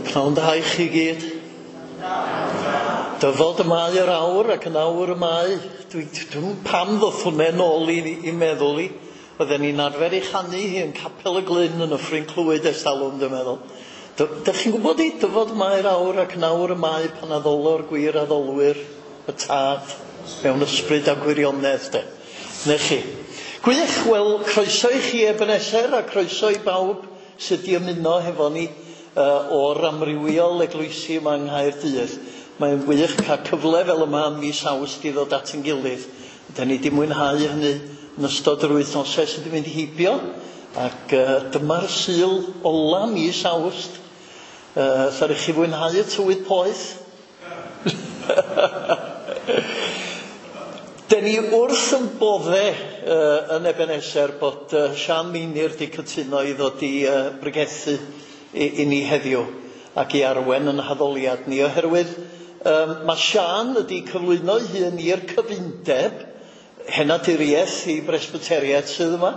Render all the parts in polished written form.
Wel, pnawn da i chi gyd. Dyfod y mae yr awr ac yn awr y mae. Dwi'n pam ddoth hwnna nôl i meddwl i. Oedden ni'n arfer ei chanu hi yn Capel y Glyn yn Nyffryn Clwyd ers talwm, dwi'n meddwl. Dych chi'n gwybod i dyfod mae'r awr ac yn awr y mae pan addolo'r gwir addolwyr y tad mewn ysbryd a gwirionedd, de. Ne chi. Gwych, wel, croeso i chi Ebenezer a croeso i bawb sydd wedi ymuno hefo ni o'r amrywiol eglwysi yma yng Nghaerdydd. Mae'n wych cael cyfle fel yma ym mis Awst i ddod at ein gilydd. Da ni wedi mwynhau hynny yn ystod yr wythnosau sydd wedi mynd heibio, ac dyma'r Sul ola mis Awst. Ddaru chi fwynhau y tywydd poeth? Den ni wrth yn bodde yn Ebenezer bod Siân Meinir wedi cytuno i ddod i bregethu i ni heddiw ac i arwen yn haddoliad ni, oherwydd mae Siân wedi cyflwyno ei hun i'r cyfundeb henaduriaeth i Bresbyteriaeth sydd yma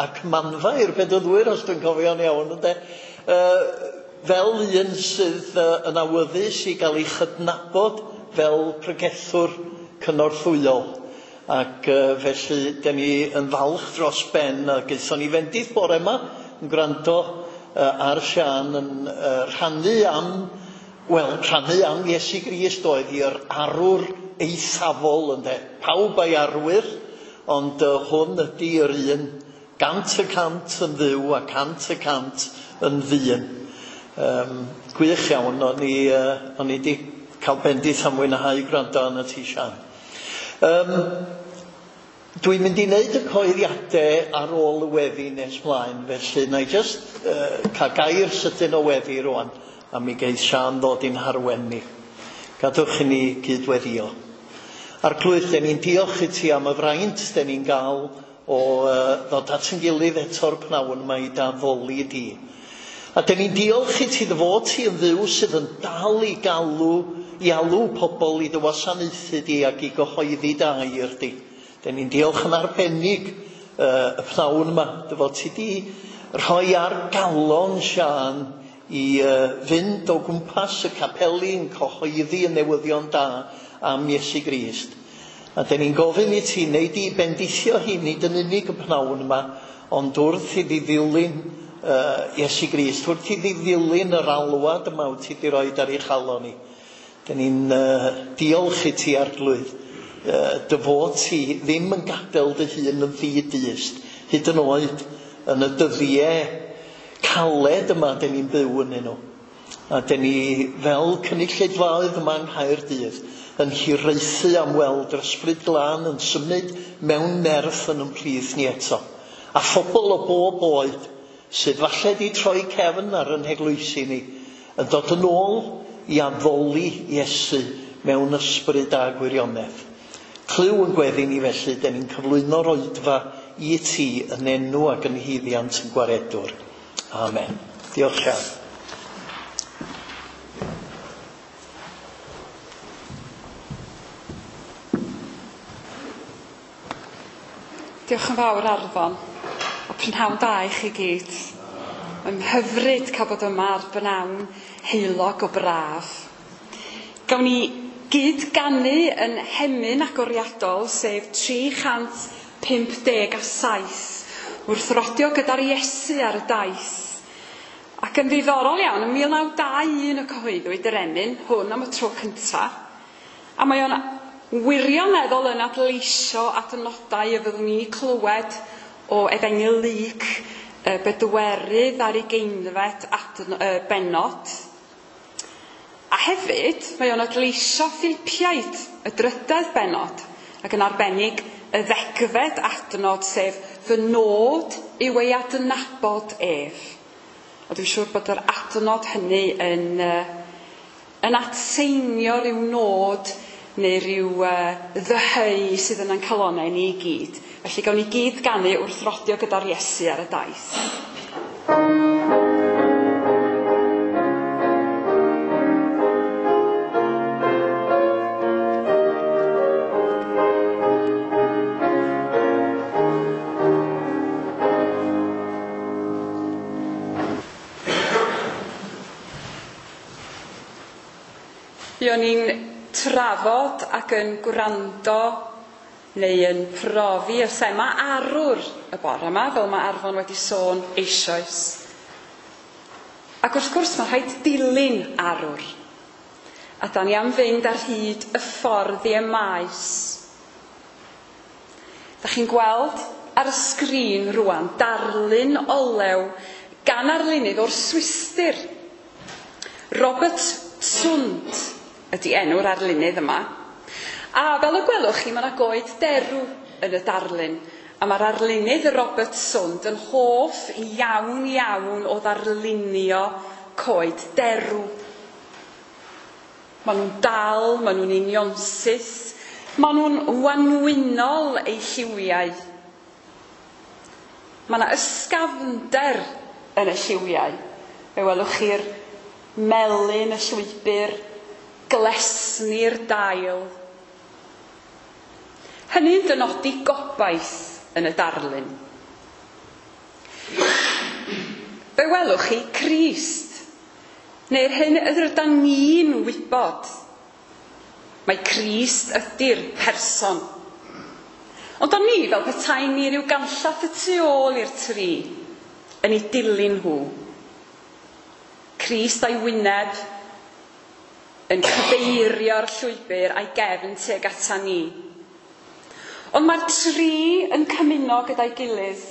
ac manfa i'r Bedyddwyr, os dwi'n cofio'n iawn, ynde? Fel un sydd yn awyddus i gael ei chydnabod fel pregethwr cynorthwyol, ac felly den ni yn falch dros ben a gaethon ni fendith bore yma yn gwrando ar Siân yn rhannu am, wel, rhannu am Iesu Grist oedd i'r arwr eithafol, ynde. Pawb a'i arwyr, ond hwn ydy yr un 100% yn dduw a 100% yn ddyn. Gwych iawn, o'n i wedi cael bendith am mwynhau gwrando arno ti, Siân. Dwi'n mynd i wneud y cyhoeddiadau ar ôl y weddi nes mlaen, felly na i jyst cael gair sydyn o weddi rwan, a mi geith Siân ddod i'n harwen ni. Gadwch i ni gydweddio. Arglwydd, den ni'n diolch i ti am y fraint den ni'n gael o ddod at ein gilydd eto'r pnawn yma i d'addoli di. A den ni'n diolch i ti dy fod ti yn Dduw sydd yn dal i galw, i alw pobl i dy wasanaethu di ac i gyhoeddi dy air di. Den ni'n diolch yn arbennig y pnawn yma, dy fod ti di rhoi ar galon Siân i fynd o gwmpas y capeli yn cyhoeddi y newyddion da am Iesu Grist. A den ni'n gofyn i ti wneud i bendithio hi nid yn unig y pnawn yma, ond wrth iddi ddilyn Iesu Grist, wrth iddi ddilyn yr alwad yma wyt ti wedi rhoi ar ei chalon hi. Den ni'n diolch i ti, Arglwydd, dy fod ti ddim yn gadael dy hun yn ddi-dyst, hyd yn oed yn y dyddiau caled yma den ni'n byw ynddyn nhw. A den ni fel cynulleidfaoedd yma yng Nghaerdydd yn hiraethu am weld yr Ysbryd Glân yn symud mewn nerth yn ymplith ni eto. A phobl o bob oed sydd falle wedi troi cefn ar yn heglwysi ni yn dod yn ôl i addoli Iesu mewn ysbryd a gwirionedd. Clyw yn gweddi ni felly, den ni'n cyflwyno'r oedfa i ti yn enw ac yn haeddiant yn gwaredwr. Amen. Diolch Siân. Diolch yn fawr, Arfon. A prynhawn da i chi gyd. Mae'n hyfryd cael bod yma ar bnawn heulog o braf. Gawn ni gyd ganu yn hemyn agoriadol, sef 357, wrth rodio gyda'r Iesu ar y daith. Ac yn ddiddorol iawn, yn 1921 y cyhoeddwyd yr emyn hwn am y tro cyntaf, a mae o'n wirioneddol yn adleisio adnodau y fyddwn ni'n clywed o Efengyl Luc, y bedwerydd ar ugeinfed bennod. A hefyd, mae o'n adleisio Philipiaid, y drydedd bennod, ac yn arbennig y ddegfed adnod, sef fy nod yw ei adnabod ef. A dwi'n siŵr bod yr adnod hynny yn atseinio rhyw nod neu rhyw ddyheu sydd yn ein calonnau ni i gyd. Felly gawn ni gyd ganu wrth rodio gyda'r Iesu ar y daith. Buon ni'n trafod ac yn gwrando neu yn profi y thema arwr y bore yma, fel mae Arfon wedi sôn eisoes. Ac wrth gwrs mae rhaid dilyn arwr. A da ni am fynd ar hyd y ffordd i Emaus. Da chi'n gweld ar y sgrin rwan darlun olew gan arlunydd o'r Swistir. Robert Zünd ydy enw'r arlunydd yma. A fel y gwelwch chi, mae yna goed derw yn y darlun. A mae'r arlunydd Robert Zünd yn hoff iawn iawn o ddarlunio coed derw. Maen nhw'n dal, maen nhw'n unionsyth, maen nhw'n wanwynol eu lliwiau. Mae yna ysgafnder yn y lliwiau. Fe welwch chi'r melyn y llwybr, glesni'r dail. Hynny'n dynodi gobaith yn y darlun. Fe welwch chi Crist, neu'r hyn rydan ni'n wybod. Mae Crist ydy'r person. Ond o'n ni fel petai ni ryw ganllath y tu ôl i'r tri yn ei dilyn nhw. Crist a'i wyneb yn cyfeirio'r llwybr a'i gefn tuag ata ni. Ond mae'r tri yn cymuno gyda'i gilydd.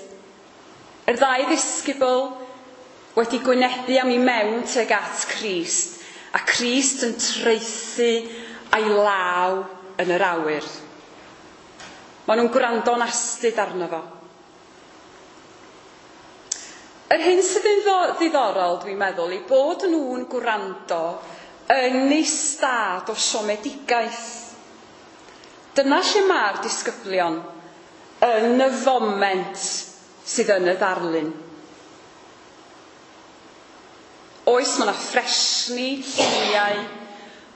Yr ddau ddisgybl wedi gwynebu am i mewn tuag at Crist, a Crist yn traethu a'i law yn yr awyr. Maen nhw'n gwrando'n astud arno fo. Yr hyn sydd yn ddiddorol, dwi'n meddwl, i bod nhw'n gwrando yn ei stad o siomedigaeth. Dyna lle mae'r disgyblion yn y foment sydd yn y ddarlun. Oes, mae yna ffresni, lliwiau,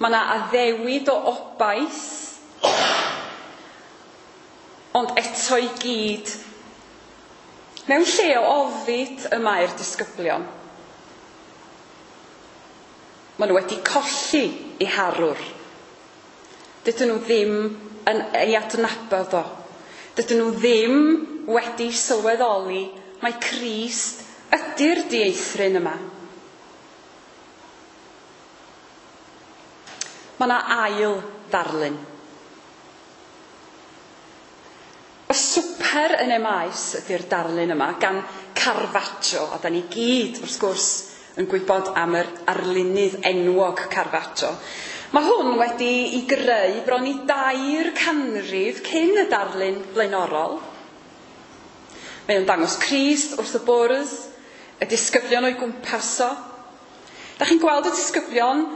mae yna addewid o obaith, ond eto i gyd, mewn lle o ofid y mae'r disgyblion. Maen nhw wedi colli eu harwr. Dydyn nhw ddim yn ei adnabod o. Dydyn nhw ddim wedi sylweddoli mai Crist ydy'r dieithryn yma. Mae yna ail ddarlun. Y swper yn Emaus ydy'r darlun yma gan Caravaggio, a da ni gyd, wrth gwrs, yn gwybod am yr arlunydd enwog Caravaggio. Mae hwn wedi ei greu bron i 3 canrif cyn y darlun blaenorol. Mae o'n dangos Crist wrth y bwrdd, y disgyblion o'i gwmpas o. Da chi'n gweld y disgyblion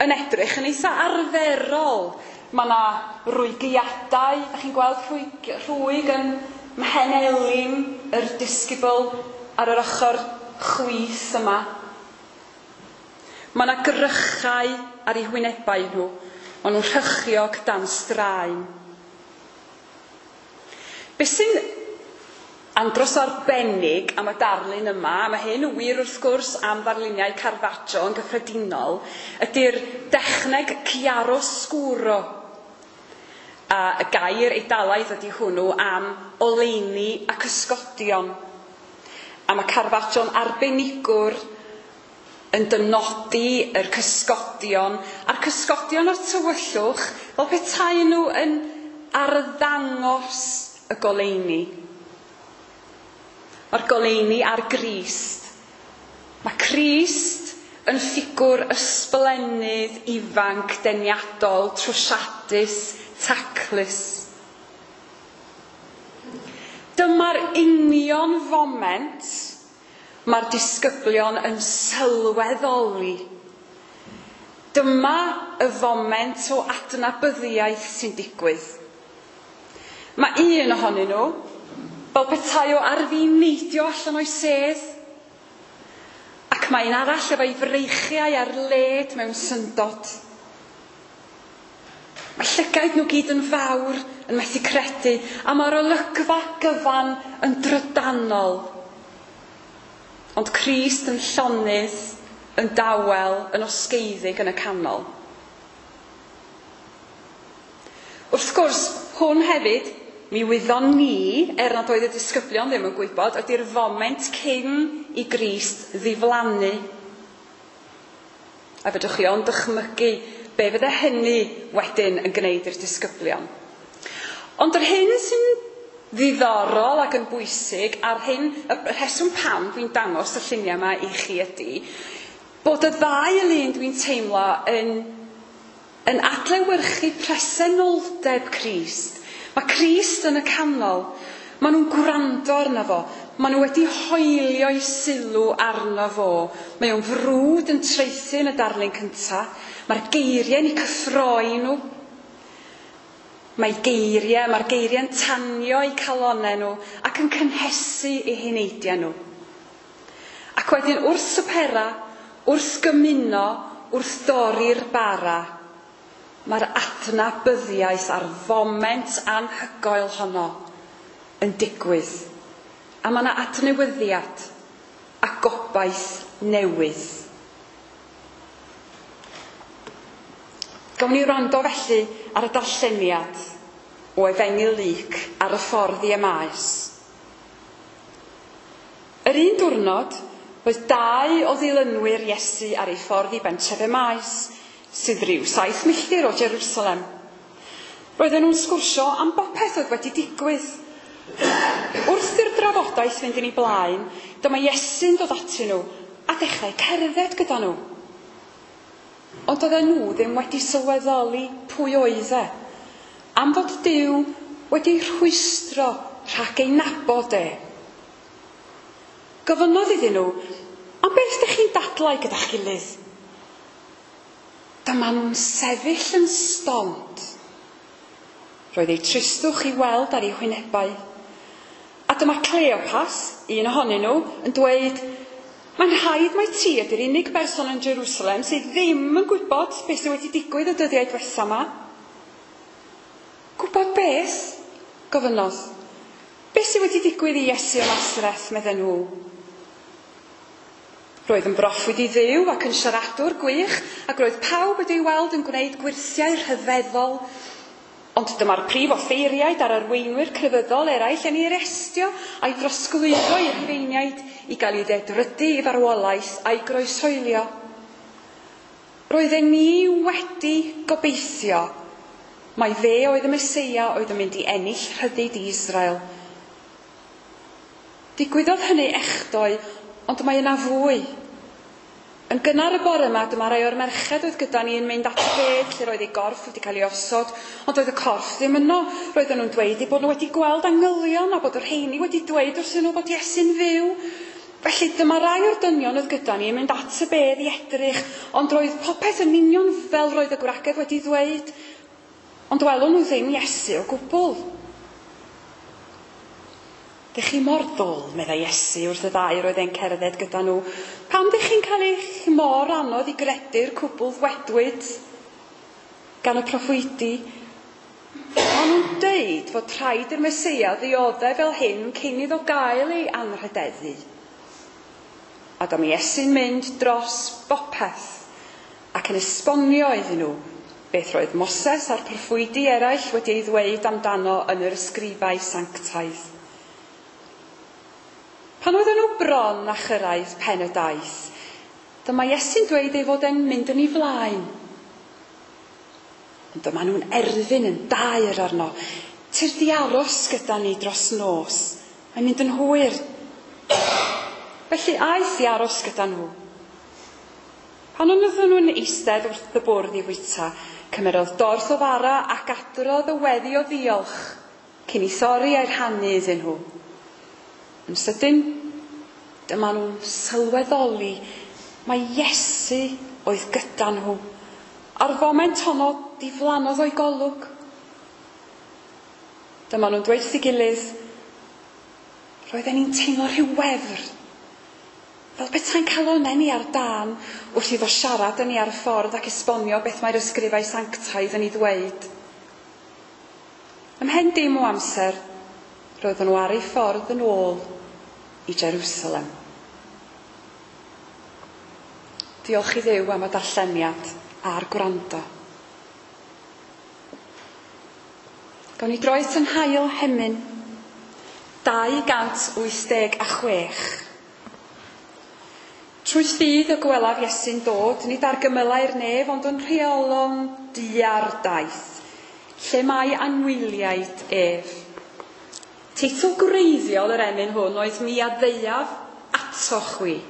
yn edrych yn eitha arferol. Mae yna rwygiadau, da chi'n gweld rhwyg, rhwyg yn mhen elin yr disgybl ar yr ochr chwith yma. Mae yna grychau ar eu hwynebau nhw. Maen nhw'n rhychiog dan straen. Be sy'n andros o arbennig am y darlun yma, a mae hyn yn wir wrth gwrs am ddarluniau Caravaggio yn gyffredinol, ydy'r dechneg chiaroscuro. A y gair Eidalaidd ydy hwnnw am oleuni a cysgodion. A mae Caravaggio'n arbenigwr yn dynodi yr cysgodion, a'r cysgodion o'r tywyllwch fel petai nhw yn arddangos y goleuni. Mae'r goleuni ar Grist. Mae Crist yn ffigwr ysblennydd, ifanc, deniadol, trwsiadus, taclus. Dyma'r union foment mae'r disgyblion yn sylweddoli. Dyma y foment o adnabyddiaeth sy'n digwydd. Mae un ohonyn nhw, fel petai o ar fin neidio allan o'i sedd, ac mae un arall efo'i freichiau ar led mewn syndod. Mae llygaid nhw gyd yn fawr, yn methu credu, a mae'r olygfa gyfan yn drydanol. Ond Crist yn llonydd, yn dawel, yn osgeiddig yn y canol. Wrth gwrs, hwn hefyd, mi wyddon ni, er nad oedd y disgyblion ddim yn gwybod, ydy'r foment cyn i Grist ddiflannu. A fedrwch chi ond dychmygu be fydde hynny wedyn yn gwneud i'r disgyblion. Ond yr hyn sy'n ddiddorol ac yn bwysig, a'r hyn, y rheswm pam dwi'n dangos y lluniau yma i chi ydy, bod y ddau lun dwi'n teimlo yn adlewyrchu presenoldeb Crist. Mae Crist yn y canol. Maen nhw'n gwrando arno fo. Maen nhw wedi hoelio'i sylw arno fo. Mae o'n frwd yn traethu yn y darlun cyntaf. Mae'r geiriau yn eu cyffroi nhw. Mae'r geiriau'n tanio eu calonnau nhw ac yn cynhesu eu heneidiau nhw. Ac wedyn wrth swpera, wrth gymuno, wrth dorri'r bara, mae'r adnabyddiaeth a'r foment anhygoel honno yn digwydd. A mae yna adnewyddiad a gobaith newydd. Gawn ni wrando felly ar y darlleniad o Efengyl Luc ar y ffordd i Emaus. Yr un diwrnod, roedd dau o ddilynwyr Iesu ar ei ffordd i bentref Emaus, sydd ryw 7 milltir o Jerusalem. Roedden nhw'n sgwrsio am bopeth oedd wedi digwydd. Wrth i'r drafodaeth fynd yn ei blaen, dyma Iesu'n dod atyn nhw a dechrau cerdded gyda nhw. Ond oedden nhw ddim wedi sylweddoli pwy oedd e, am fod Duw wedi rhwystro rhag ei nabod e. Gofynnodd iddyn nhw, am beth ydych chi'n dadlau gyda'ch gilydd? Dyma nhw'n sefyll yn stond. Roedd eu tristwch i weld ar eu hwynebau. A dyma Cleopas, un ohonyn nhw, yn dweud, mae'n rhaid mai ti ydy'r unig berson yn Jerusalem sydd ddim yn gwybod beth sydd wedi digwydd y dyddiau diwetha yma. Gwybod beth? Gofynnodd. Beth sydd wedi digwydd i Iesu o Nasareth, medden nhw. Roedd yn broffwyd i Dduw ac yn siaradwr gwych, ac roedd pawb wedi ei weld yn gwneud gwyrthiau rhyfeddol. Ond dyma'r prif offeiriaid a'r arweinwyr crefyddol eraill yn ei arestio a'i drosglwyddo i'r Rhufeiniaid i gael ei ddedrydu i farwolaeth a'i groeshoelio. Roedden ni wedi gobeithio mai fe oedd y Meseia oedd yn mynd i ennill rhyddid i Israel. Digwyddodd hynny echdoe, ond mae yna fwy. Yn gynnar y bore yma, dyma rai o'r merched oedd gyda ni yn mynd at y bedd lle roedd ei gorff wedi cael ei osod, ond oedd y corff ddim yno. Roedden nhw'n dweud eu bod nhw wedi gweld angylion a bod y rheini wedi dweud wrthyn nhw bod Iesu'n fyw. Felly dyma rai o'r dynion oedd gyda ni yn mynd at y bedd i edrych, ond roedd popeth yn union fel roedd y gwragedd wedi ddweud, ond welwn nhw ddim Iesu o gwbl. Dych chi mor ddwl, meddai Iesu wrth y ddau roedd e'n cerdded gyda nhw. Pam dych chi'n cael eich mor anodd i gredu'r cwbl ddwedwyd gan y proffwydi? Maen nhw'n deud fod rhaid i'r Meseia ddioddef fel hyn cyn iddo gael ei anrhydeddu. A dyma Iesu'n mynd dros bopeth ac yn esbonio iddyn nhw beth roedd Moses a'r proffwydi eraill wedi ei ddweud amdano yn yr ysgrifau sanctaidd. Pan oedden nhw bron a chyrraedd pen y daith, dyma Iesu'n dweud ei fod e'n mynd yn ei flaen. Ond dyma nhw'n erfyn yn daer arno. Tyrd i aros gyda ni dros nos. Mae'n mynd yn hwyr. Felly aeth i aros gyda nhw. Pan oedden nhw'n eistedd wrth y bwrdd i fwyta, cymerodd dorth o fara ac adrodd y weddi o ddiolch cyn i thorri a'i rhannu iddyn nhw. Yn sydyn, dyma nhw'n sylweddoli mai Iesu oedd gyda nhw. A'r foment honno diflannodd o'i golwg. Dyma nhw'n dweud wrth ei gilydd, roedden ni'n teimlo rhyw wefr, fel petai'n calonnau ni ar dân wrth iddo siarad yn ni ar y ffordd ac esbonio beth mae'r ysgrifau sanctaidd yn ei ddweud. Ymhen dim o amser, roedden nhw ar eu ffordd yn ôl i Jerusalem. Diolch i Dduw am y darlleniad a'r gwrando. Gawn ni droi at yn hail hemyn, 286. Trwy ffydd y gwelaf Iesu'n dod, nid ar gymylau'r nef, ond yn rheolon dua'r daith, lle mae anwyliaid ef. Teitl gwreiddiol yr emyn hwn oedd Mi a ddeuaf ato chwi.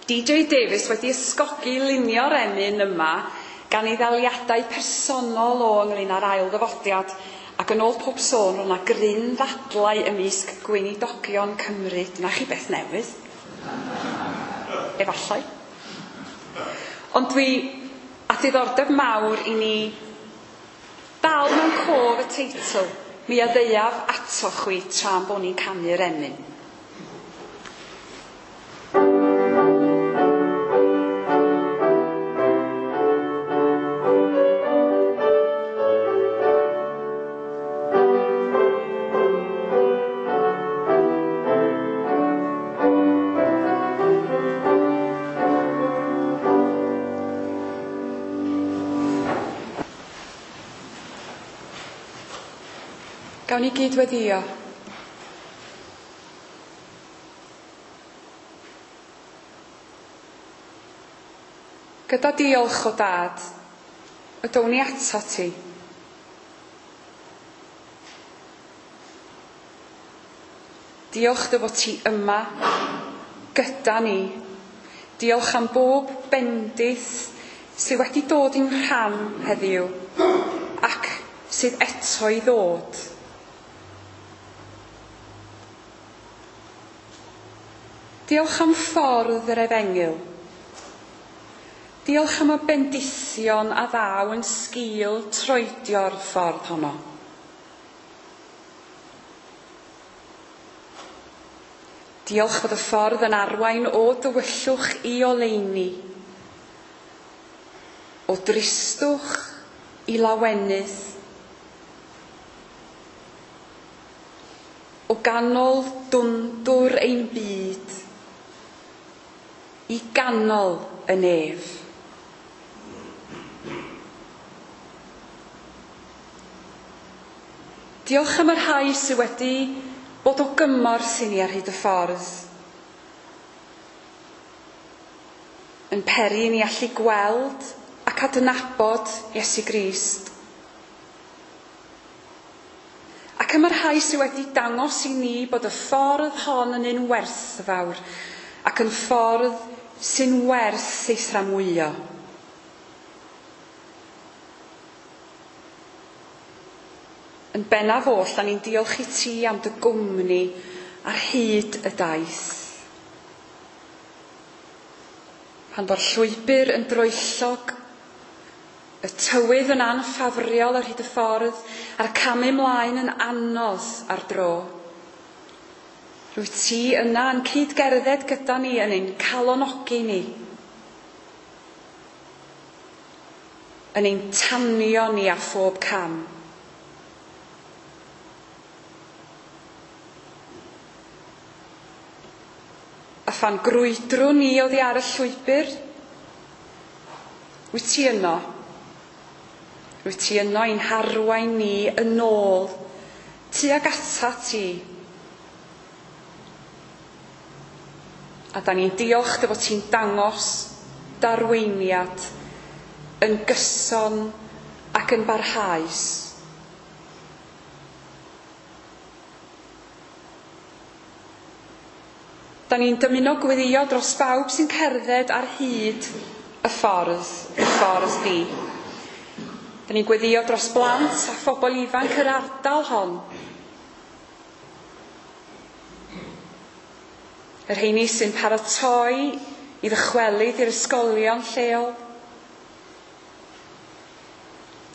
DJ Davies wedi ysgogi lunio'r emyn yma gan ei ddaliadau personol o ynglyn â'r ail ddyfodiad, ac yn ôl pob sôn roedd 'na gryn ddadlau ymysg gweinidogion Cymru. Dyna chi beth newydd. Efallai. Ond dwi a diddordeb mawr i ni dal mewn cof y teitl, Mi a ddeuaf ato chwi tra'n bo ni'n canu'r emyn. Gawn ni gyd weddio. Gyda diolch o dad, y down ni ato ti. Diolch dy fod ti yma gyda ni. Diolch am bob bendith sydd wedi dod i'n rhan heddiw ac sydd eto i ddod. Diolch am ffordd yr efengyl. Diolch am y bendithion a ddaw yn sgil troedio'r ffordd honno. Diolch fod y ffordd yn arwain o dywyllwch i oleuni, o dristwch i lawenydd, o ganol dwndwr ein byd i ganol y nef. Diolch am y rhai sydd wedi bod o gymorth i ni ar hyd y ffordd, yn peri i ni allu gweld ac adnabod Iesu Grist. Ac am y rhai sydd wedi dangos i ni bod y ffordd hon yn un werthfawr ac yn ffordd sy'n werth ei thramwyo. Yn bennaf oll, da ni'n diolch i ti am dy gwmni ar hyd y daith. Pan fo'r llwybr yn droellog, y tywydd yn anffafriol ar hyd y ffordd, a'r camu mlaen yn anodd ar dro. Rwyt ti yna yn cyd-gerdded gyda ni, yn ein calonogi ni, yn ein tanio ni â phob cam. A phan grwydrwn ni oddi ar y llwybr, wyt ti yno? Wyt ti yno i'n harwain ni yn ôl tuag atat ti? A da ni'n diolch dy fod ti'n dangos darweiniad yn gyson ac yn barhaus. Da ni'n dymuno gweddio dros bawb sy'n cerdded ar hyd y ffordd, y ffordd di. Da ni'n gweddio dros blant a phobl ifanc yr ardal hon. Y rheini sy'n paratoi i ddychwelyd i'r ysgolion lleol.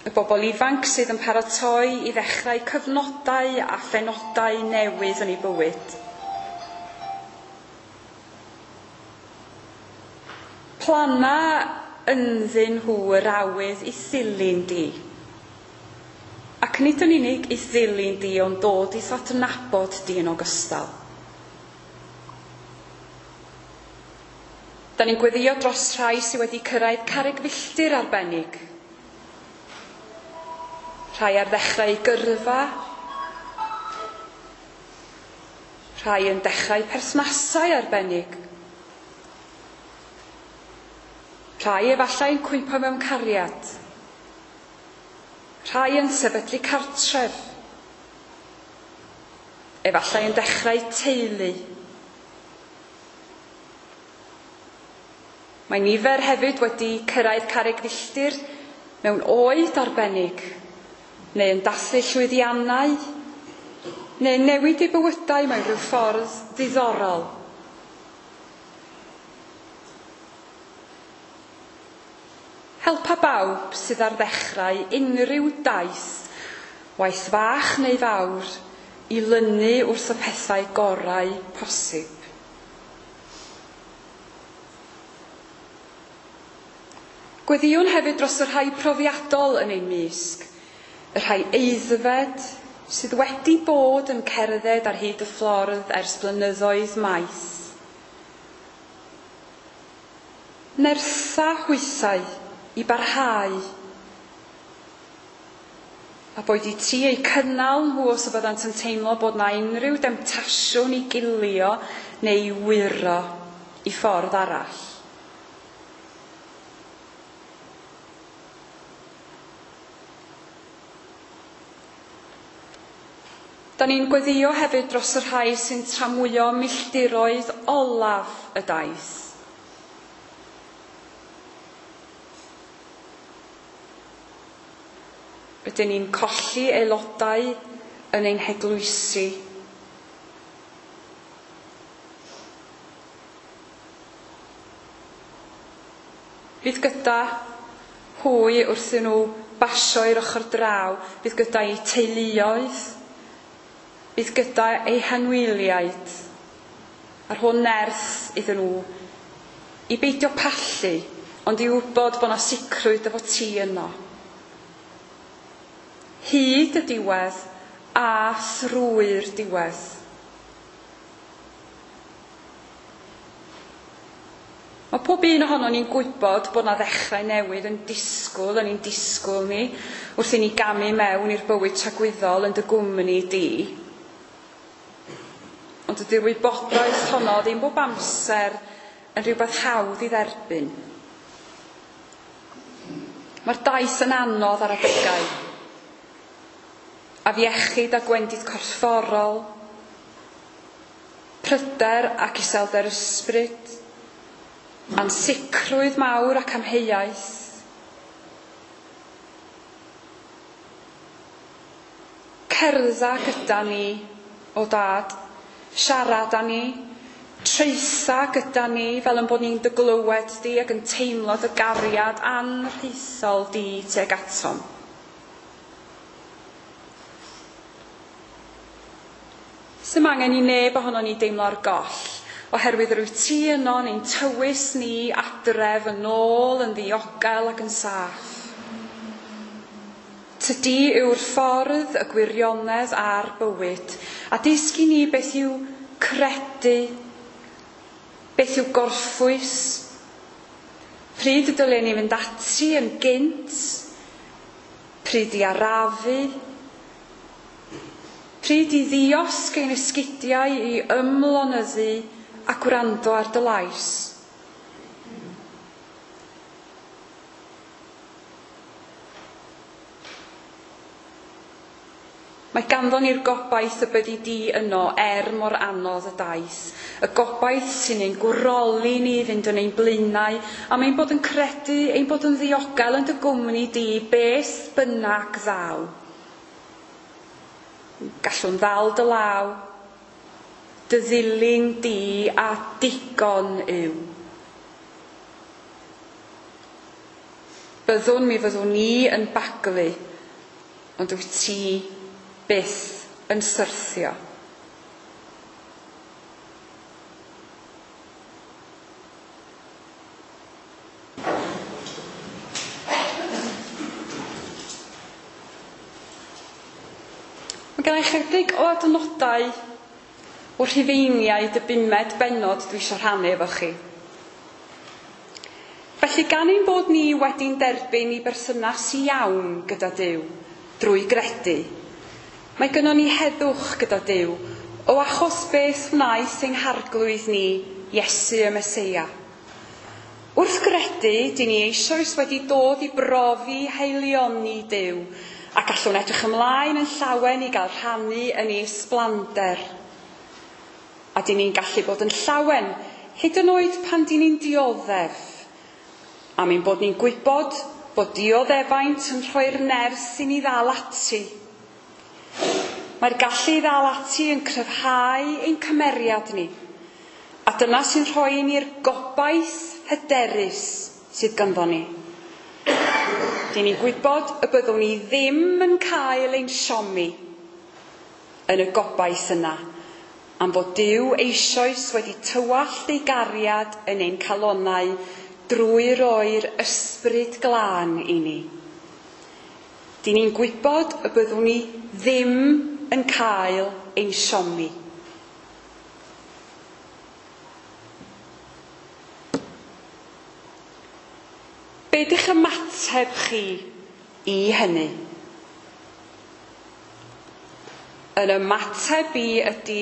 Y bobl ifanc sydd yn paratoi i ddechrau cyfnodau a phenodau newydd yn eu bywyd. Planna ynddyn nhw yr awydd i ddilyn di. Ac nid yn unig i ddilyn di, ond dod i'th adnabod di yn ogystal. Da ni'n gweddio dros rhai sydd wedi cyrraedd carreg filltir arbennig. Rhai ar ddechrau gyrfa, rhai yn dechrau perthnasau arbennig, rhai efallai yn cwympo mewn cariad, rhai yn sefydlu cartref, efallai yn dechrau teulu. Mae nifer hefyd wedi cyrraedd carreg filltir mewn oed arbennig, neu yn dathlu llwyddiannau, neu newid eu bywydau mewn rhyw ffordd ddiddorol. Helpa bawb sydd ar ddechrau unrhyw daith, waith fach neu fawr, i lynu wrth y pethau gorau posib. Gweddïwn hefyd dros y rhai profiadol yn ein mysg, y rhai aeddfed sydd wedi bod yn cerdded ar hyd y ffordd ers blynyddoedd maith. Nertha hwythau i barhau, a boed i ti eu cynnal nhw os y byddant yn teimlo bod na unrhyw demtasiwn i gilio neu i wyro i ffordd arall. Da ni'n gweddïo hefyd dros y rhai sy'n tramwyo milltiroedd olaf y daith. Rydyn ni'n colli aelodau yn ein heglwysi. Bydd gyda hwy wrth nhw basio i'r ochr draw, bydd gyda eu teuluoedd, bydd gyda eu hanwyliaid, a'r hwn nerth iddyn nhw i beidio pallu, ond i wybod bod yna sicrwydd efo ti yno. Hyd y diwedd a thrwy'r diwedd. Mae pob un ohonon ni'n gwybod bod yna ddechrau newydd yn disgwyl, yn ein disgwyl ni, wrth i ni gamu mewn i'r bywyd tragwyddol yn dy gwmni di. Ond ydy'r wybodaeth honno ddim bob amser yn rhywbeth hawdd i dderbyn. Mae'r daith yn anodd ar adegau. Afiechyd a gwendid corfforol, pryder ac iselder ysbryd, ansicrwydd mawr ac amheuaeth. Cerdda gyda ni, o dad, siarad â ni, traetha gyda ni fel yn bod ni'n dy glywed di ac yn teimlo dy gariad anrhaethol di tuag atom. Sym angen i neb ohono ni deimlo ar goll, oherwydd rwyt ti yno ni'n tywys ni adref yn ôl yn ddiogel ac yn saff. Tydi yw'r ffordd, y gwirionedd a'r bywyd, a dysgu ni beth yw credu, beth yw gorffwys, pryd y dylen ni fynd ati yn gynt, pryd i arafu, pryd i ddiosg ein esgidiau i ymlonyddu a gwrando ar dy lais. Mae ganddon ni'r gobaith y byddi di yno er mor anodd y daith. Y gobaith sy'n ein gwroli ni fynd yn ein blaenau, a mae'n bod yn credu ein bod yn ddiogel yn dy gwmni di beth bynnag ddaw. Gallwn ddal dy law, dy ddilyn di a digon yw. Byddwn mi fyddwn ni yn baglu, ond wyt ti byth yn syrthio. Mae gen i chydig o adnodau o'r Rhufeiniaid y bumed bennod dwi eisiau rhannu efo chi. Felly gan ein bod ni wedi'n derbyn i berthynas iawn gyda Duw, drwy gredu, mae gynnon ni heddwch gyda Duw o achos beth wnaeth ein harglwydd ni, Iesu y Meseia. Wrth gredu, dyn ni eisoes wedi dod i brofi haelioni Duw a gallwn edrych ymlaen yn llawen i gael rhannu yn ei ysblander. A dyn ni'n gallu bod yn llawen, hyd yn oed pan dyn ni'n dioddef. Am ein bod ni'n gwybod bod dioddefaint yn rhoi'r nerth i ni ddal ati. Mae'r gallu i ddal ati yn cryfhau ein cymeriad ni. A dyna sy'n rhoi i ni'r gobaith hyderus sydd ganddo ni. Dyn ni'n gwybod y byddwn ni ddim yn cael ein siomi yn y gobaith yna, am fod Duw eisoes wedi tywallt ei gariad yn ein calonnau drwy roi'r ysbryd glân i ni. Dyn ni'n gwybod y byddwn ni ddim yn cael ein siomi. Be ydych ymateb chi i hynny? Yn ymateb i ydy,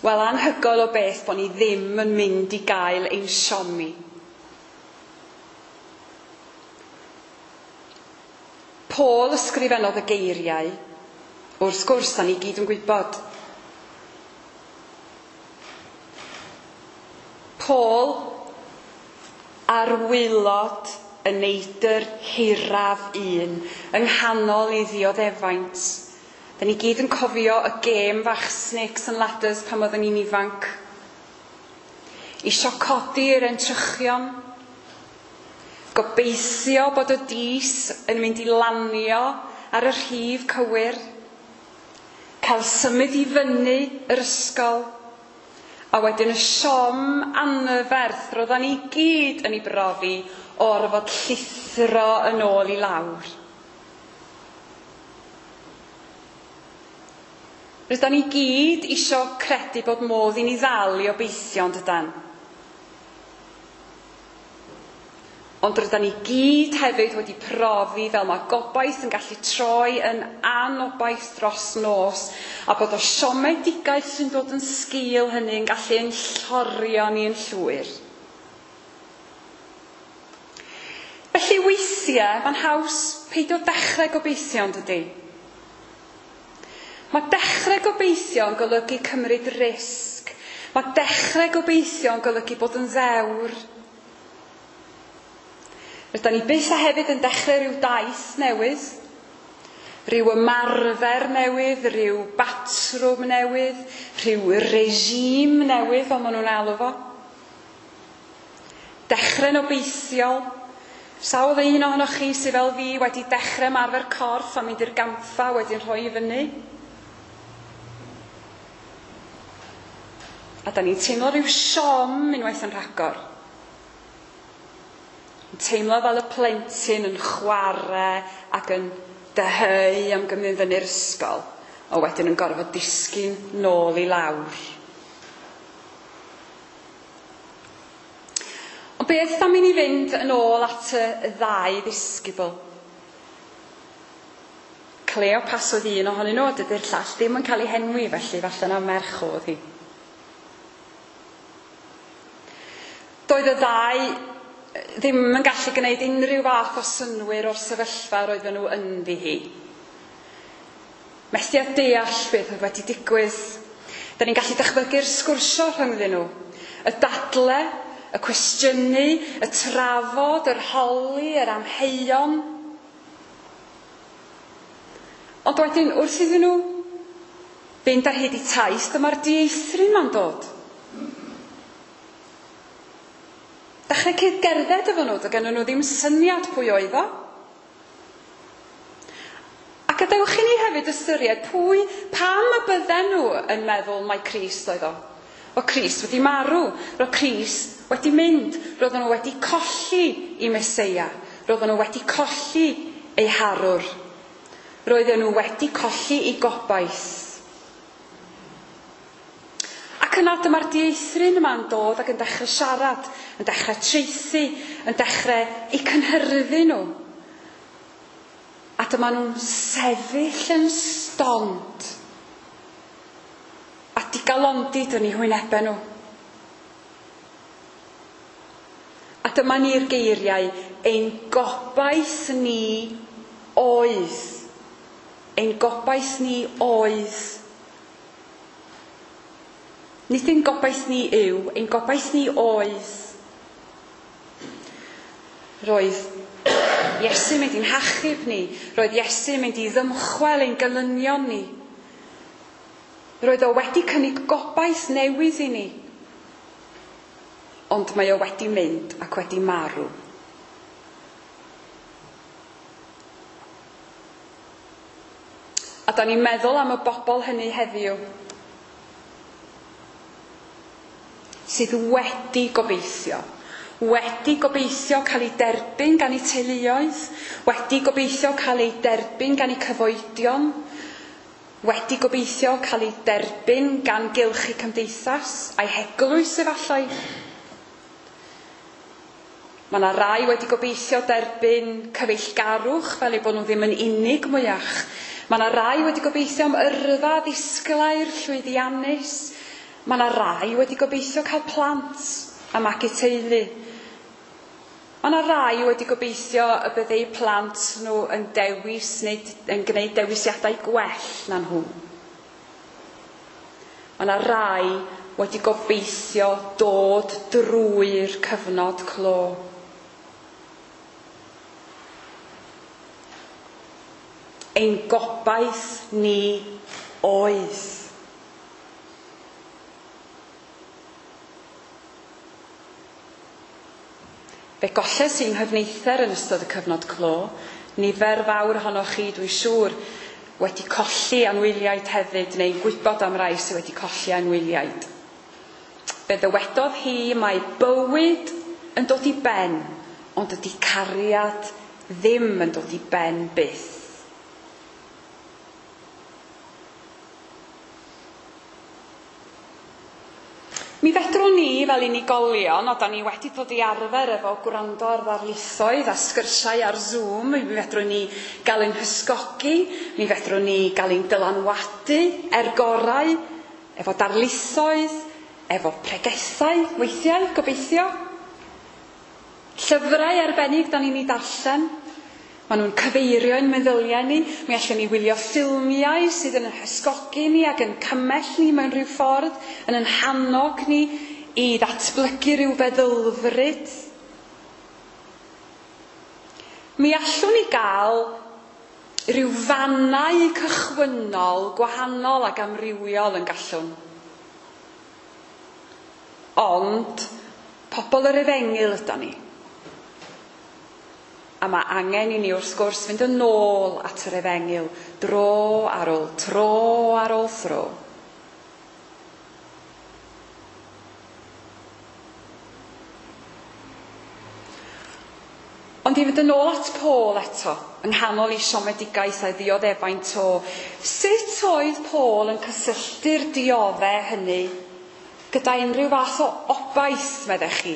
wel, anhygoel o beth bod ni ddim yn mynd i gael ein siomi. Paul ysgrifennodd y geiriau, wrth gwrs, da ni gyd yn gwybod. Paul ar waelod y neidr hiraf un yng nghanol ei ddioddefaint. Da ni gyd yn cofio y gêm fach Snakes and Ladders pan oedden ni'n ifanc. Isio codi'r entrychion, gobeithio bod y dis yn mynd i lanio ar y rhif cywir, cael symud i fyny yr ysgol, a wedyn y siom anferth roeddan ni gyd yn ei brofi o orfod llithro yn ôl i lawr. Rydan ni gyd isio credu bod modd i ni ddal i obeithio, yn dydan? Ond rydan ni gyd hefyd wedi profi fel mae gobaith yn gallu troi yn anobaith dros nos, a bod o siomedigaeth sy'n dod yn sgil hynny yn gallu ein llorio ni yn llwyr. Felly weithiau, mae'n haws peidio dechrau gobeithio, yn dydi? Mae dechrau gobeithio yn golygu cymryd risg. Mae dechrau gobeithio yn golygu bod yn ddewr. Rydan ni byth a hefyd yn dechrau rhyw daith newydd, rhyw ymarfer newydd, rhyw batrwm newydd, rhyw regime newydd, fel maen nhw'n alw fo. Dechrau'n obeithiol. Sawl un ohonoch chi sydd fel fi wedi dechrau ymarfer corff a mynd i'r gampfa wedyn rhoi i fyny? A da ni'n teimlo rhyw siom unwaith yn rhagor. Yn teimlo fel y plentyn yn chwarae ac yn dyheu am gymryd fyny'r ysgol, a wedyn yn gorfod disgyn nôl i lawr. Ond beth am i ni fynd yn ôl at y ddau ddisgybl? Cleopas oedd un ohonyn nhw, a dydy'r llall ddim yn cael ei henwi, felly falle na merch oedd hi. Doedd y ddau ddim yn gallu gwneud unrhyw fath o synnwyr o'r sefyllfa roedden nhw ynddi hi. Methu a deall beth oedd wedi digwydd. Da ni'n gallu dychmygu'r sgwrsio rhyngddyn nhw. Y dadle, y cwestiynu, y trafod, yr holi, yr amheuon. Ond wedyn, wrth iddyn nhw fynd ar hyd i taith, dyma'r dieithryn ma'n dod. Dechrau cyd-gerdded efo nhw, doedd gennyn nhw ddim syniad pwy oedd o. A gadewch i ni hefyd ystyried pwy, pam y bydden nhw yn meddwl mai Crist oedd o. O Crist wedi marw, roedd Crist wedi mynd, roedden nhw wedi colli i Meseia, roedden nhw wedi colli eu harwr, roedden nhw wedi colli eu gobaith. Ac yna dyma'r dieithryn yma'n dod ac yn dechrau siarad, yn dechrau traethu, yn dechrau eu cynhyrfu nhw. A A dyma nhw'n sefyll yn stond. A digalondid yn eu hwynebau nhw. A dyma ni'r geiriau, ein gobaith ni oedd. Ein gobaith ni oedd. Nid ein gobaith ni yw, ein gobaith ni oedd. Roedd Iesu'n mynd i'n hachub ni. Roedd Iesu'n mynd i ddymchwel ein gelynion ni. Roedd o wedi cynnig gobaith newydd i ni. Ond mae o wedi mynd ac wedi marw. A da ni'n meddwl am y bobl hynny heddiw sydd wedi gobeithio. Wedi gobeithio cael ei derbyn gan eu teuluoedd, wedi gobeithio cael ei derbyn gan eu cyfoedion, wedi gobeithio cael ei derbyn gan gylch eu cymdeithas a'i heglwys efallai. Mae yna rai wedi gobeithio derbyn cyfeillgarwch fel eu bod nhw ddim yn unig mwyach. Mae yna rai wedi gobeithio am yrfa ddisglair llwyddiannus. Mae yna rai wedi gobeithio cael plant a magu teulu. Mae yna rai wedi gobeithio y bydde eu plant nhw yn dewis neu yn gwneud dewisiadau gwell na nhw. Mae yna rai wedi gobeithio dod drwy'r cyfnod clo. Ein gobaith ni oedd. Fe golles i'n nghyfneither yn ystod y cyfnod clo. Nifer fawr ohonoch chi, dwi'n siŵr, wedi colli anwyliaid hefyd, neu'n gwybod am rai sydd wedi colli anwyliaid. Fe ddywedodd hi mae bywyd yn dod i ben, ond ydy cariad ddim yn dod i ben byth. Mi fedrwn ni fel unigolion, o da ni wedi dod i arfer efo gwrando ar ddarlithoedd a sgyrsiau ar Zoom, mi fedrwn ni gael ein hysgogi, mi fedrwn ni gael ein dylanwadu er gorau, efo darlithoedd, efo pregethau, weithiau, gobeithio. Llyfrau arbennig da ni'n ei darllen. Maen nhw'n cyfeirio ein meddyliau ni. Mi allwn ni wylio ffilmiau sydd yn hysgogi ni ac yn cymell ni mewn rhyw ffordd, yn ein hannog ni i ddatblygu rhyw feddylfryd. Mi allwn ni gael rhyw fannau cychwynnol gwahanol ac amrywiol yn gallwn. Ond pobl yr efengyl ydan ni. A mae angen i ni wrth gwrs fynd yn ôl at yr efengyl dro ar ôl tro ar ôl thro. Ond i fynd yn ôl at Paul eto, yng nghanol ei siomedigaeth a'i ddioddefaint o, sut oedd Paul yn cysylltu'r dioddef hynny gyda unrhyw fath o obaith, meddech chi?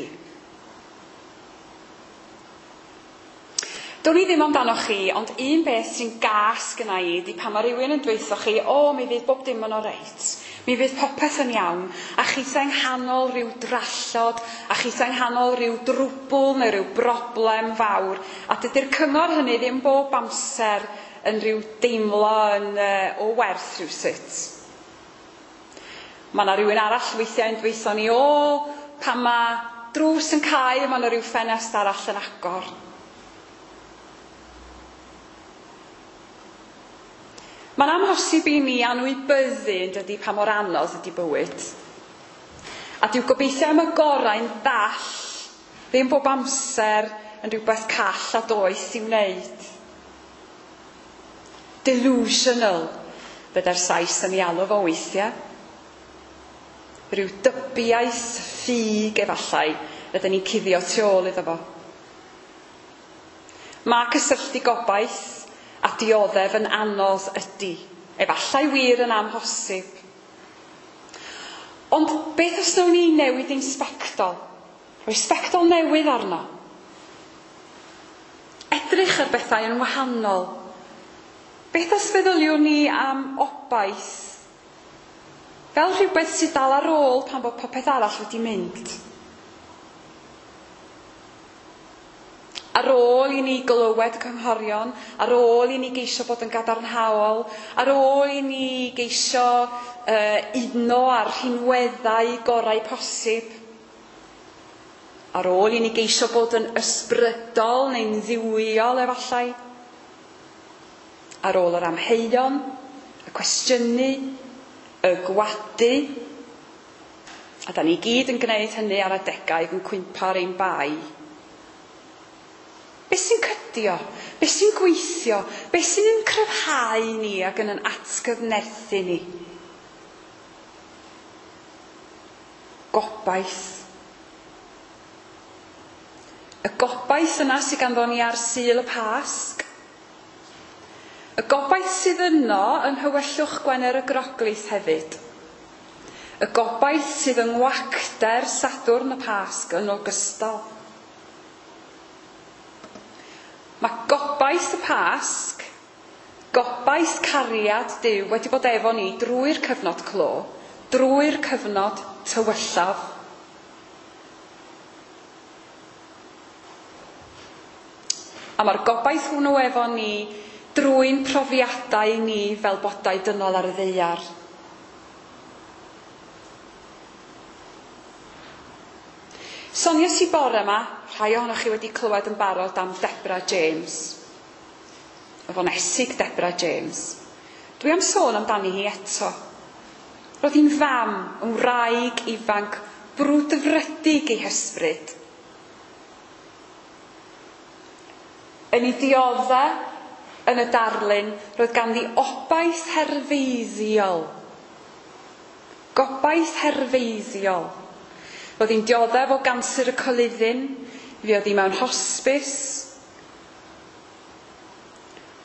Do'n i ddim amdanoch chi, ond un beth sy'n gas gynna i ydi pan mae rhywun yn dweutho chi, o, mi fydd bob dim yn oreit, mi fydd popeth yn iawn, a chithau yng nghanol rhyw drallod, a chithau yng nghanol rhyw drwbl neu rhyw broblem fawr, a dydy'r cyngor hynny ddim bob amser yn rhyw deimlo yn, o werth rhywsut. Mae yna rhywun arall weithiau yn dweutho ni, o, pan mae drws yn cau, mae yna rhyw ffenest arall yn agor. Mae'n amhosib i ni anwybyddu yn dydi pa mor anodd ydi bywyd. A dyw gobeithio am y gorau'n ddall ddim bob amser yn rhywbeth call a doeth i'w wneud. Delusional, bydda'r Sais yn ei alw fo weithiau. Rhyw dybiaeth ffug efallai rydyn ni'n cuddio tu ôl iddo fo. Mae cysylltu gobaith a dioddef yn anodd ydy. Efallai wir yn amhosib. Ond beth os nawn ni newid ein sbectol? Rhoi sbectol newydd arno. Edrych ar bethau yn wahanol. Beth os feddyliwn ni am obaith fel rhywbeth sydd dal ar ôl pan bod popeth arall wedi mynd? Ar ôl i ni glywed y cynghorion, ar ôl i ni geisio bod yn gadarnhaol, ar ôl i ni geisio uno â'r rhinweddau gorau posib, ar ôl i ni geisio bod yn ysbrydol neu'n dduwiol efallai, ar ôl yr amheuon, y cwestiynu, y gwadu, a da ni gyd yn gwneud hynny ar adegau yn cwympo ar ein bai. Be sy'n cydio? Be sy'n gweithio? Be sy'n ein cryfhau ni ac yn ein atgyfnerthu ni? Gobaith. Y gobaith yna sydd ganddo ni ar Sul y Pasg. Y gobaith sydd yno yn nhywyllwch Gwener y Groglith hefyd. Y gobaith sydd yng ngwacter Sadwrn y Pasg yn ogystal. Mae gobaith y Pasg, gobaith cariad Duw wedi bod efo ni drwy'r cyfnod clo, drwy'r cyfnod tywyllaf. A mae'r gobaith hwnnw efo ni drwy'n profiadau ni fel bodau dynol ar y ddaear. Soniais i bore yma, rhai ohonoch chi wedi clywed yn barod am Deborah James. Y fonesig Deborah James. Dwi am sôn amdani hi eto. Roedd hi'n fam, yn wraig ifanc, brwdfrydig ei hysbryd. Yn ei diodde yn y darlun, roedd ganddi obaith herfeiddiol. Gobaith herfeiddiol. Roedd hi'n dioddef o ganser y coluddyn, fuodd hi mewn hosbis.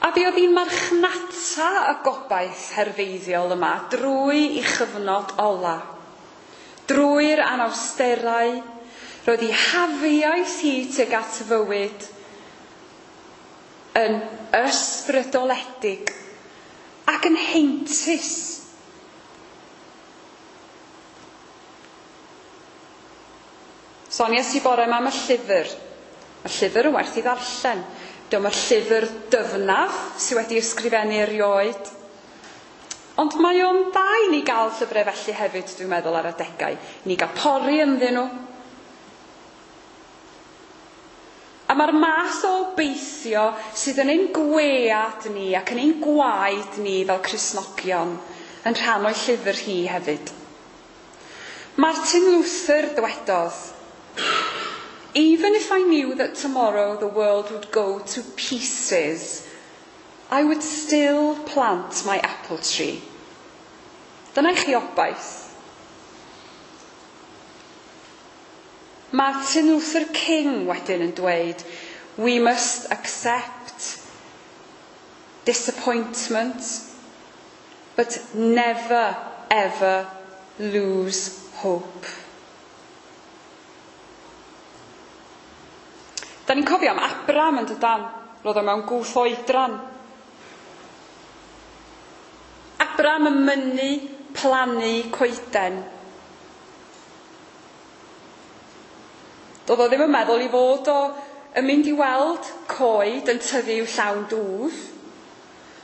A fuodd hi'n marchnata y gobaith herfeiddiol yma drwy ei chyfnod ola. Drwy'r anawsterau, roedd hi hafiaeth hi tuag at fywyd yn ysbrydoledig ac yn heintus. Soniais i bore yma am y llyfr. Mae'r llyfr yn werth i ddarllen. Dyma'r llyfr dyfnaf sydd wedi ysgrifennu erioed. Ond mae o'n dda i ni gael llyfrau felly hefyd, dwi'n meddwl, ar adegau. I ni gael pori ynddyn nhw. A mae'r math o obeithio sydd yn ein gwead ni ac yn ein gwaed ni fel Cristnogion yn rhan o'i llyfr hi hefyd. Martin Luther ddywedodd, "Even if I knew that tomorrow the world would go to pieces, I would still plant my apple tree." Dyna i chi obaith. Martin Luther King wedyn yn dweud, "We must accept disappointment, but never ever lose hope." Da ni'n cofio am Abram yn dydan, roedd o mewn gwth oedran. Abram yn mynnu plannu coeden. Doedd o ddim yn meddwl i fod o yn mynd i weld coed yn tyfu i'w llawn dwf.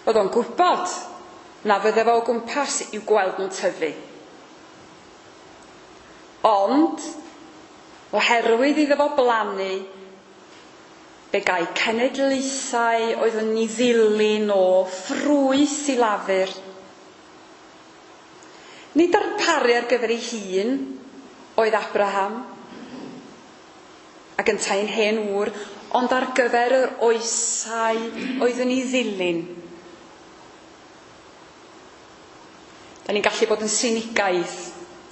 Roedd o'n gwybod na fydde fo o gwmpas i'w gweld nhw'n tyfu. Ond, oherwydd iddo fo blannu, fe gai cenedlaethau oedd yn ei ddilyn o ffrwyth i lafur. Nid darparu ar gyfer ei hun oedd Abraham, ac yntau'n hen ŵr, ond ar gyfer yr oesau oedd yn ei ddilyn. Da ni'n gallu bod yn sinigaidd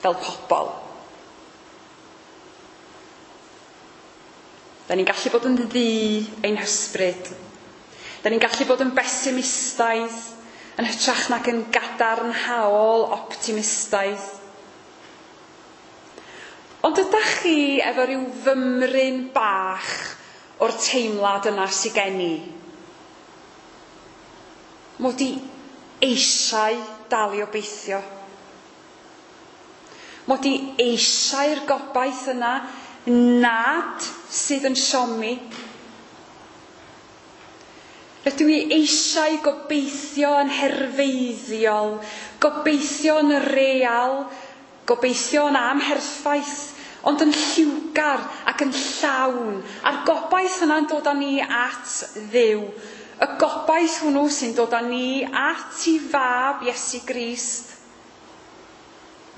fel pobl. Da ni'n gallu bod yn ddu ein hysbryd. Da ni'n gallu bod yn besimistaidd, yn hytrach nag yn gadarnhaol optimistaidd. Ond ydych chi efo rhyw fymryn bach o'r teimlad yna sydd gen i? Mod i eisiau dal i obeithio. Mod i eisiau'r gobaith yna nad sydd yn siomi. Rydw i eisiau gobeithio yn herfeiddiol, gobeithio yn real, gobeithio yn amherffaith, ond yn lliwgar ac yn llawn. A'r gobaith yna'n dod â ni at Dduw. Y gobaith hwnnw sy'n dod â ni at ei fab Iesu Grist.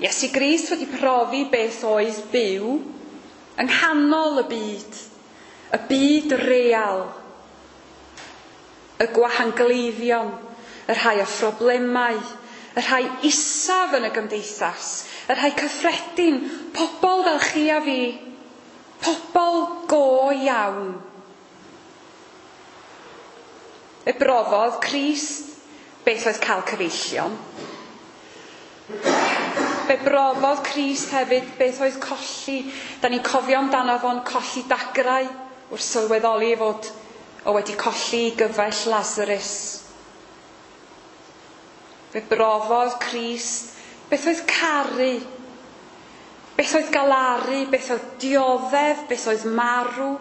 Iesu Grist wedi profi beth oedd byw yng nghanol y byd real, y gwahangleiddion, y rhai â phroblemau, y rhai isaf yn y gymdeithas, y rhai cyffredin, pobl fel chi a fi, pobl go iawn. Fe brofodd Crist beth oedd cael cyfeillion. Fe brofodd Crist hefyd beth oedd colli. Da ni'n cofio amdano fo'n colli dagrau wrth sylweddoli ei fod o wedi colli ei gyfaill Lazarus. Fe brofodd Crist beth oedd caru, beth oedd galaru, beth oedd dioddef, beth oedd marw.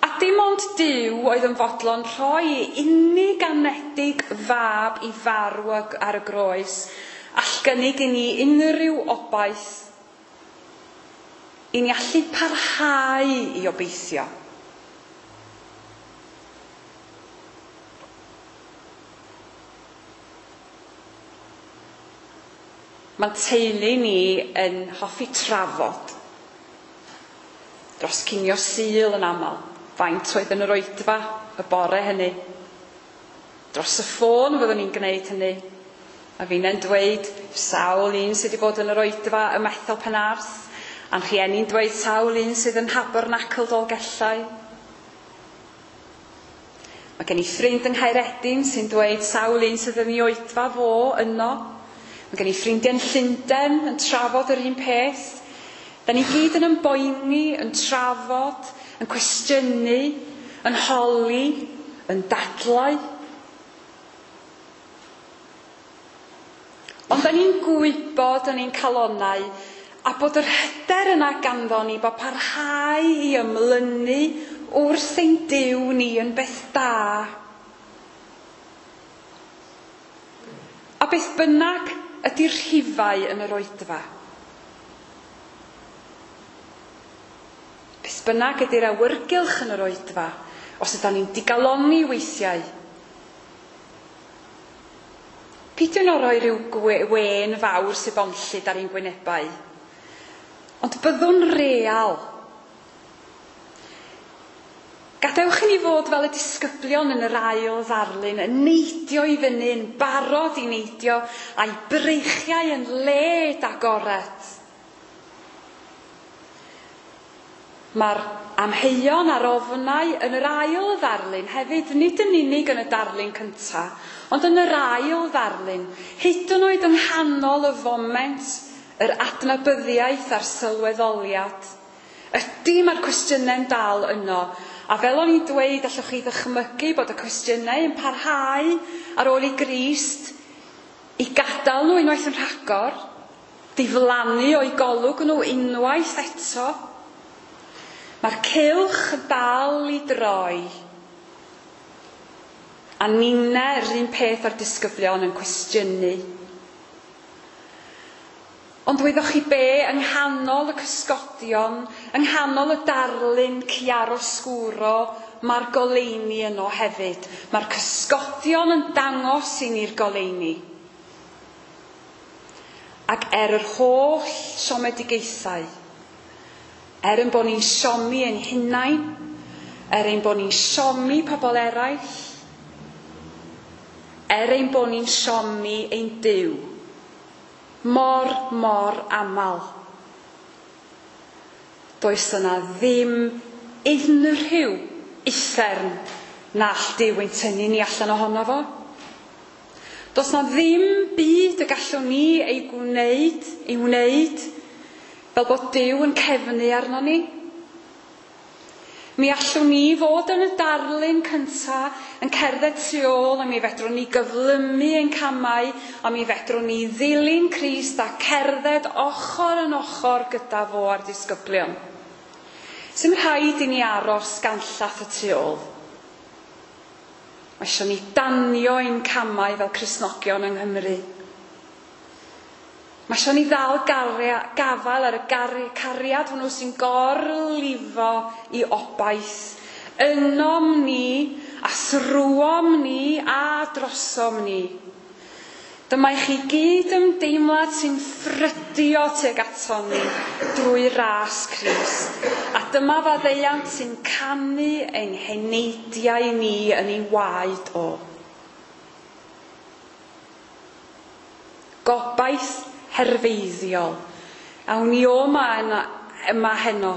A dim ond Duw oedd yn fodlon rhoi ei unig anedig fab i farw ar y groes, all gynnig i ni unrhyw obaith, i ni allu parhau i obeithio. Mae'n teulu ni yn hoffi trafod dros cinio Sul yn aml, faint oedd yn yr oedfa y bore hynny. Dros y ffôn fyddwn ni'n gwneud hynny. A finnau'n dweud sawl un sydd wedi bod yn yr oedfa ym Methel Penarth, a'n rhieni'n dweud sawl un sydd yn Nhabernacl Dolgellau. Mae gen i ffrind yng Nghaeredin sy'n dweud sawl un sydd yn ei oedfa fo yno. Mae gen i ffrindiau yn Llundain yn trafod yr un peth. Da ni gyd yn ymboeni, yn trafod, yn cwestiynu, yn holi, yn dadlau. Ond da ni'n gwybod yn ein calonnau a bod yr hyder yna ganddo ni bod parhau i ymlynu wrth ein Duw ni yn beth da. A beth bynnag ydy'r rhifau yn yr oedfa. Beth bynnag ydy'r awyrgylch yn yr oedfa, os ydyn ni'n digalonni weithiau. Peidiwn o roi rhyw wên fawr sy'n bonllyd ar ein gwynebau. Ond byddwn real. Gadewch i ni fod fel y disgyblion yn yr ail ddarlun, yn neidio i fyny, yn barod i neidio, a'i breichiau yn led agored. Mae'r amheuon a'r ofnau yn yr ail ddarlun hefyd, nid yn unig yn y darlun cyntaf, ond yn yr ail ddarlun, hyd yn oed yng nghanol y foment, yr adnabyddiaeth a'r sylweddoliad. Ydy mae'r cwestiynau'n dal yno, a fel o'n i'n dweud, allwch chi ddychmygu bod y cwestiynau yn parhau ar ôl i Grist i gadael nhw unwaith yn rhagor, diflannu o'u golwg nhw unwaith eto. Mae'r cylch yn dal i droi. A ninne, yr un peth o'r disgyblion yn cwestiynu. Ond wyddoch chi be, yng nghanol y cysgodion, yng nghanol y darlun chiaroscuro, mae'r goleuni yno hefyd. Mae'r cysgodion yn dangos i ni'r goleuni. Ac er yr holl siomedigaethau, er ein bod ni'n siomi ein hunain, er ein bod ni'n siomi pobl eraill, er ein bod ni'n siomi ein Duw, mor, mor aml. Does yna ddim unrhyw uffern na all Duw ein tynnu ni allan ohono fo. Does na ddim byd y gallwn ni ei wneud, fel bod Duw yn cefnu arno ni. Mi allwn ni fod yn y darlun cynta yn cerdded tu ôl a mi fedrwn ni gyflymu ein camau a mi fedrwn ni ddilyn Crist a cerdded ochr yn ochr gyda fo a'r disgyblion. Sdim rhaid i ni aros ganllath y tu ôl. Mae eisiau ni danio ein camau fel Cristnogion yng Nghymru. Mae eisiau ni ddal gafael ar y cariad hwnnw sy'n gorlifo i obaith. Ynom ni, a thrwom ni, a drosom ni. Dyma i chi gyd ymdeimlad sy'n ffrydio tuag aton ni drwy ras Crist. A dyma faddeuant sy'n canu ein heneidiau ni yn ei waed o. Gobaith herfeiddiol. Awn ni o yma heno.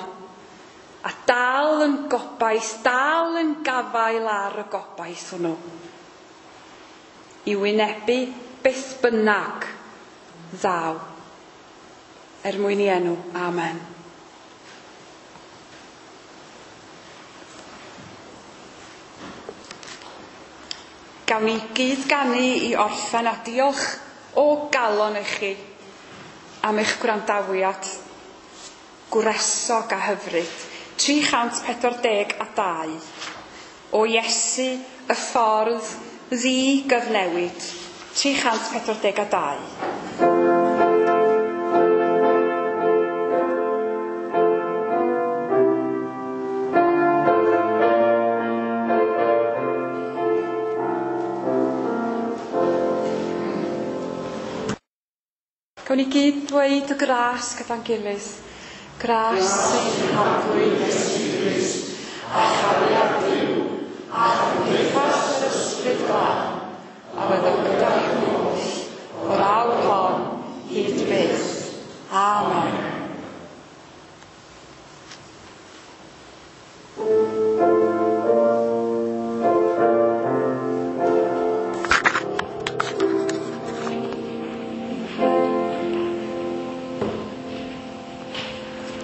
A dal yn gobaith, dal yn gafael ar y gobaith hwnnw. I wynebu beth bynnag ddaw. Er mwyn i enw. Amen. Gawn ni gyd ganu i orffen a diolch o galon i chi am eich gwrandawiad gwresog a hyfryd. 342 o Iesu y ffordd ddi-gyfnewid. 342. Gawn ni gyd dweud y gras gyda'n gilydd. Gras ein Harglwydd Iesu